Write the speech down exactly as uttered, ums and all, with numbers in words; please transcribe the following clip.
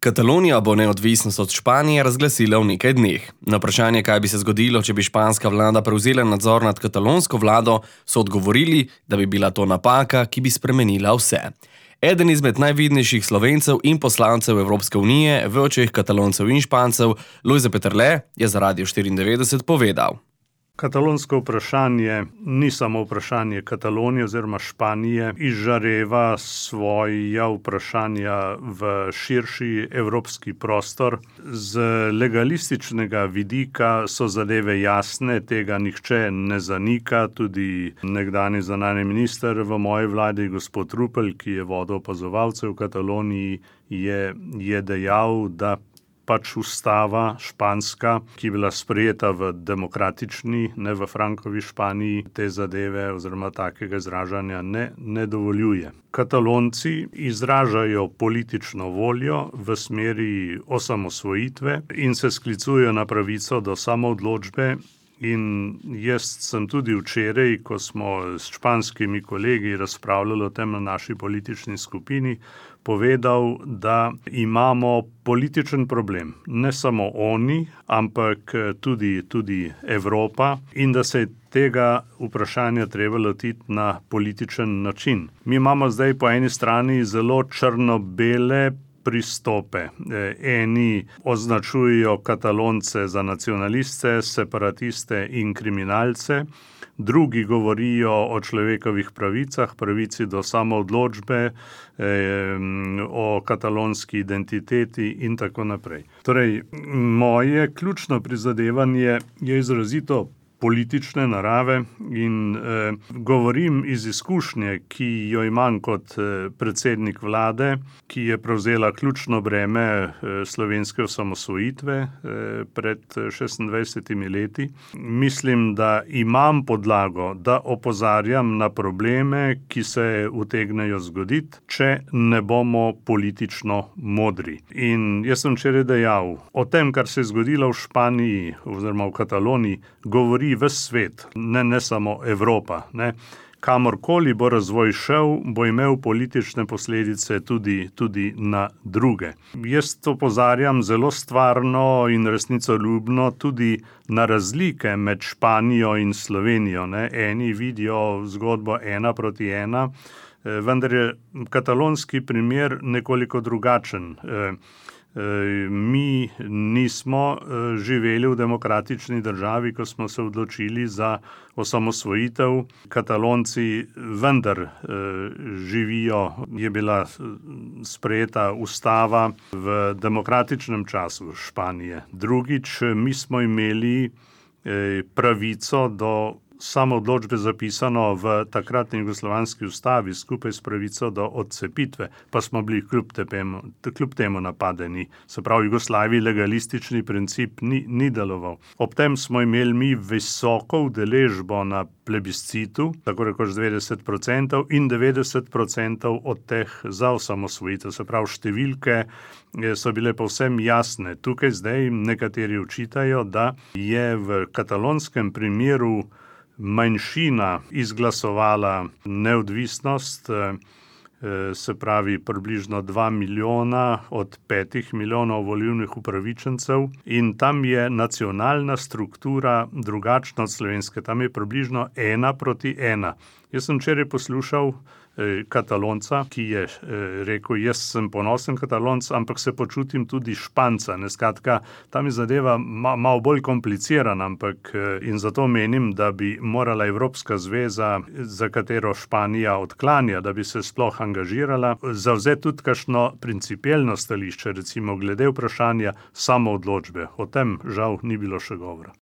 Katalonija bo neodvisnost od Španije razglasila v nekaj dneh. Na vprašanje, kaj bi se zgodilo, če bi španska vlada prevzela nadzor nad katalonsko vlado, so odgovorili, da bi bila to napaka, ki bi spremenila vse. Eden izmed najvidnejših Slovencev in poslancev Evropske unije v očeh Kataloncev in Špancev, Lojze Peterle, je za Radio štiriindevetdeset povedal. Katalonsko vprašanje ni samo vprašanje Katalonije oziroma Španije, izžareva svoja vprašanja v širši evropski prostor. Z legalističnega vidika so zadeve jasne, tega nihče ne zanika, tudi nekdanji zunanji minister v moji vladi, gospod Rupel, ki je vodil opazovalce v Kataloniji, je, je dejal, da pač ustava španska, ki je bila sprejeta v demokratični, ne v Frankovi Španiji, te zadeve oziroma takega izražanja ne, ne dovoljuje. Katalonci izražajo politično voljo v smeri osamosvojitve in se sklicujejo na pravico do samoodločbe. In jaz sem tudi včeraj, ko smo s španskimi kolegi razpravljali o tem na naši politični skupini, povedal, da imamo političen problem. Ne samo oni, ampak tudi, tudi Evropa in da se je tega vprašanja treba lotiti na političen način. Mi imamo zdaj po eni strani zelo črno-bele pristope. Eni označujejo Katalonce za nacionaliste, separatiste in kriminalce, drugi govorijo o človekovih pravicah, pravici do samoodločbe, o katalonski identiteti in tako naprej. Torej, moje ključno prizadevanje je izrazito politične narave in eh, govorim iz izkušnje, ki jo imam kot eh, predsednik vlade, ki je prevzela ključno breme eh, slovenske osamosvojitve eh, pred šestindvajsetimi leti. Mislim, da imam podlago, da opozarjam na probleme, ki se utegnejo zgoditi, če ne bomo politično modri. In jaz sem včeraj dejal, o tem, kar se je zgodilo v Španiji oziroma v Kataloniji, govori ves svet, ne, ne samo Evropa. Ne. Kamorkoli bo razvoj šel, bo imel politične posledice tudi, tudi na druge. Jaz to opozarjam zelo stvarno in resnicoljubno tudi na razlike med Španijo in Slovenijo. Ne. Eni vidijo zgodbo ena proti ena, vendar je katalonski primer nekoliko drugačen. Mi nismo živeli v demokratični državi, ko smo se odločili za osamosvojitev. Katalonci vendar živijo, je bila sprejeta ustava v demokratičnem času Španije. Drugič, mi smo imeli pravico do samoodločbe zapisano v takratni jugoslovanski ustavi skupaj s pravico do odcepitve, pa smo bili kljub temu, kljub temu napadeni. Se pravi, v Jugoslaviji legalistični princip ni, ni deloval. Ob tem smo imeli mi visoko udeležbo na plebiscitu, tako rekoč devetdeset procentov in devetdeset procentov od teh za osamosvojitev. Se pravi, številke so bile povsem jasne. Tukaj zdaj nekateri očitajo, da je v katalonskem primeru manjšina izglasovala neodvisnost, se pravi približno dva milijona od petih milijonov volilnih upravičencev in tam je nacionalna struktura drugačna od slovenske. Tam je približno ena proti ena. Jaz sem včeraj poslušal Katalonca, ki je rekel, jaz sem ponosen Katalonc, ampak se počutim tudi Španca. Ne, skratka, tam je zadeva ma, malo bolj komplicirana, ampak in zato menim, da bi morala Evropska zveza, za katero Španija odklanja, da bi se sploh angažirala, zavzeti tudi kakšno principielno stališče, recimo glede vprašanja samoodločbe. O tem žal ni bilo še govora.